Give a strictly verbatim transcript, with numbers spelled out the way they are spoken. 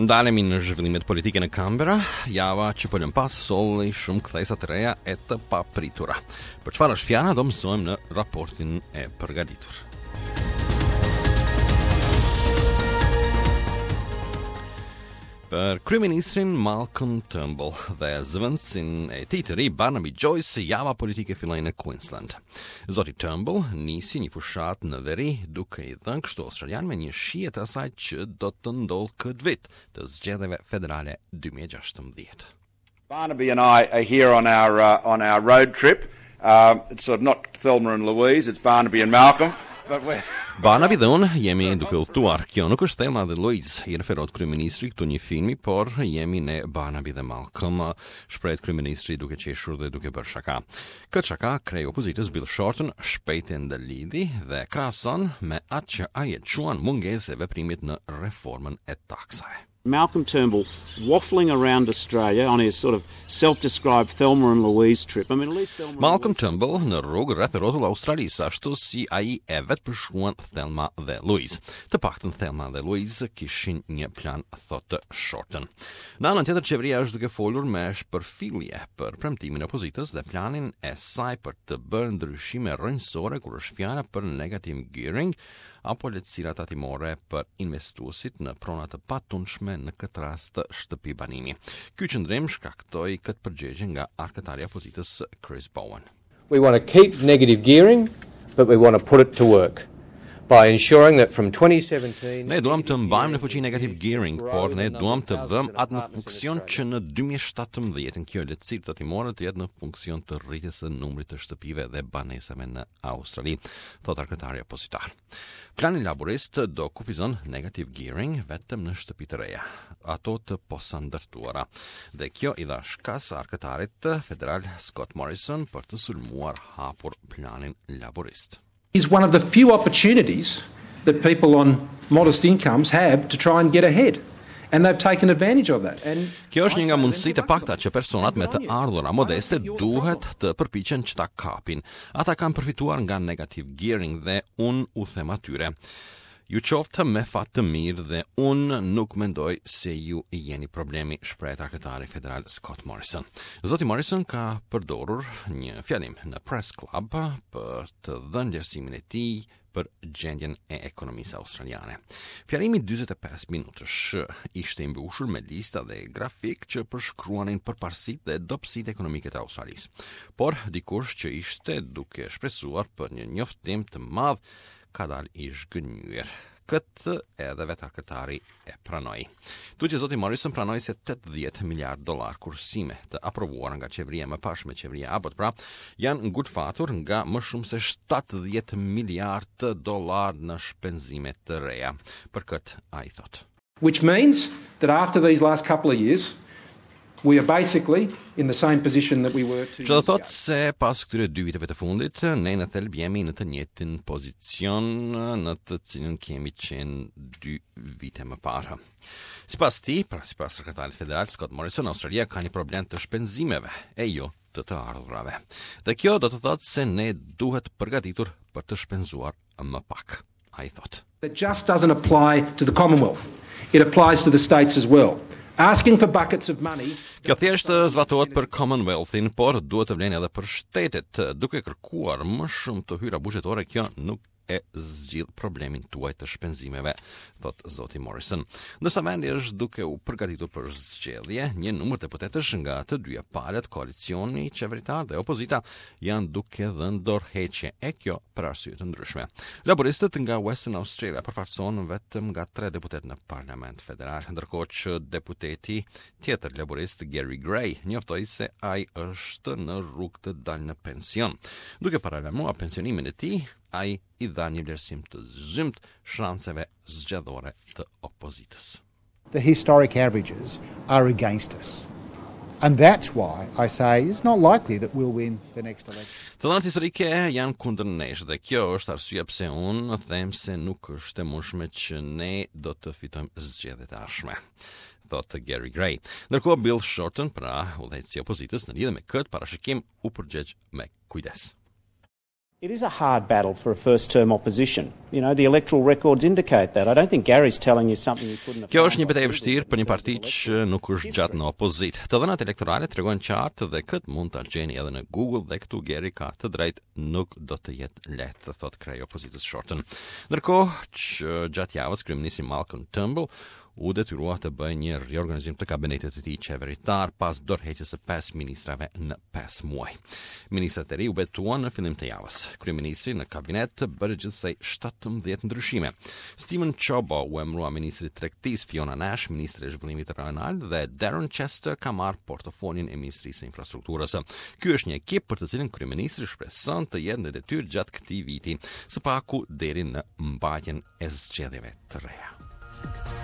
Ndalemi në zhvillimet politike në Canberra, java që po lëm pas solli shumë kthesa të reja e të papritura. Për çfarë është fjala do mësojmë në raportin e përgatitur. Për kryeministrin Malcolm Turnbull dhe zëvendësin e tij të ri Barnaby Joyce, java politike filloi në Queensland. Zoti Turnbull nisi një fushatë në veri duke i dhënë kështu australianëve një shije të asaj që do të ndodhë këtë vit të zgjedhjeve federale dy mijë e gjashtëmbëdhjetë. Barnaby and I are here on our uh, on our road trip. Uh, it's sort of not Thelma and Louise, it's Barnaby and Malcolm. But we're Barnaby dhe unë jemi duke udhëtuar. Kjo nuk është Thelma dhe Louise, i referohet kryeministri këtu një filmi, por jemi ne Barnaby dhe Malcolm, shprehet kryeministri duke qeshur dhe duke bërë shaka. Këtë shaka kreu i opozitës Bill Shorten shpejt e ndërlidhi dhe krahason me atë që ai e quan mungesë e veprimit në reformën e taksave. Malcolm Turnbull waffling around Australia on his sort of self-described Thelma and Louise trip. I mean, at least Thelma and Malcolm Turnbull në rrugë rreth rrotull Australisë, ashtu si ai e vetë përshkruan Thelma dhe Louise. Të paktën Thelma dhe Louise kishin një plan, thotë Shorten. Në anën tjetër, qeveria është duke folur me shpërfillje për premtimin e opozitës dhe planin e saj për të bërë ndryshime rrënjësore kur është fjala për negative gearing apo lehtësira tatimore për investuesit në prona të patundshme, në këtë rast shtëpi banimi. Ky qëndrim shkaktoi këtë përgjigje nga arkëtari i opozitës Chris Bowen. We want to keep negative gearing, but we want to put it to work by ensuring that from twenty seventeen Ne duam të mbajmë në fuqi negative gearing, por ne duam të vëmë atë në funksion që në dy mijë e shtatëmbëdhjetë kjo lehtësi tatimore të jetë në funksion të rritjes së numrit të shtëpive dhe banesave në Australi, thot arkëtari opozitar. Plani laborist do kufizon negative gearing vetëm në shtëpi të reja, ato të posa ndërtuara. Dhe kjo i dha shkas arkëtarit federal Scott Morrison për të sulmuar hapur planin laborist. Is one of the few opportunities that people on modest incomes have to try and get ahead. And they've taken advantage of that. And Kjo është një nga mundësitë e pakta që personat me të ardhura modeste duhet të përpiqen që ta kapin. Ata kanë përfituar nga negative gearing dhe unë u them atyre: "Ju qoftë me fat të mirë dhe unë nuk mendoj se ju jeni problemi", shprehet arkëtari federal Scott Morrison. Zoti Morrison ka përdorur një fjalim në Press Club për të dhënë vlerësimin e tij për gjendjen e ekonomisë australiane. Fjalimi dyzet e pesë minutësh ishte i mbushur me lista dhe grafik që përshkruanin përparësitë dhe dobësitë ekonomike të Australisë. Por dikush që ishte duke shpresuar për një njoftim të madh ka dalë i zhgënjyer. Këtë edhe vetë arkëtari e pranoi. Tutje zoti Morrison pranoi se tetëdhjetë miliard dollar kursime të aprovuara nga qeveria e mëparshme, qeveria Abbott pra, janë ngulfatur nga më shumë se shtatëdhjetë miliard dollar në shpenzime të reja. Për këtë ai thotë: Which means that after these last couple of years, we are basically in the same position that we were two Që do years ago. thotë se pas këtyre dy viteve të fundit, ne në thelb jemi në të njëjtin pozicion në të cilën kemi qenë dy vite më parë. Sipas tij, pra sipas sekretarit federal Scott Morrison, Australia ka një problem të shpenzimeve e jo të të ardhurave. Dhe kjo do të thotë se ne duhet përgatitur për të shpenzuar më pak. Ai thotë: That just doesn't apply to the Commonwealth. It applies to the states as well. Asking for buckets of money Kjo thjesht zbatohet për Commonwealthin, por duhet të vlen edhe për shtetet. Duke kërkuar më shumë të hyra buxhetore, kjo nuk e zgjidh problemin tuaj të shpenzimeve, thot zoti Morrison. Ndërsa vendi është duke u përgatitur për zgjedhje, një numër deputetësh nga të dyja palët, koalicioni qeveritar dhe opozita, janë duke dhënë dorëheqje, e kjo për arsye të ndryshme. Laboristët nga Western Australia përfaqësohen vetëm nga tre deputetë në Parlament Federal, ndërkohë që deputeti tjetër laborist Gary Gray njoftoi se ai është në rrugë të dalë në pension. Duke paralajmëruar pensionimin e tij, ai i dha një vlerësim të zymtë shanseve zgjedhore të opozitës. The historic averages are against us. And that's why I say it's not likely that we'll win the next election. Të dhënat historike janë kundër nesh dhe kjo është arsyeja pse unë them se nuk është e mundshme që ne do të fitojmë zgjedhjet e ardhshme, thot Gary Gray. Ndërkohë Bill Shorten, pra udhëheqësi i opozitës, në lidhje me këtë parashikim u përgjigj me kujdes. It is a hard battle for a first term opposition. You know, the electoral records indicate that. I don't think Gary's telling you something you couldn't have Kjo është një betejë e vështirë për një parti që nuk është gjatë në opozitë. Të dhënat elektorale tregojnë qartë dhe këtë mund ta gjeni edhe në Google dhe këtu Gary ka të drejtë, nuk do të jetë lehtë, thotë kreu i opozitës Shorten. Ndërkohë që gjatë javës kryeministri Malcolm Turnbull u detyrua të bëjë një riorganizim të kabinetit të tij qeveritar pas dorëheqjes së pesë ministrave në pesë muaj. Ministrat e ri u betuan në fillim të javës. Kryeministri në kabinet bëri gjithsej shtatëmbëdhjetë ndryshime. Steven Ciobo u emërua ministri i tregtisë, Fiona Nash ministri i zhvillimit rajonal dhe Darren Chester ka marrë portofolin e Ministrisë së Infrastrukturës. Ky është një ekip për të cilin kryeministri shpreson të jetë në detyrë gjatë këtij viti, së paku deri në mbajtjen e zgjedhjeve të reja.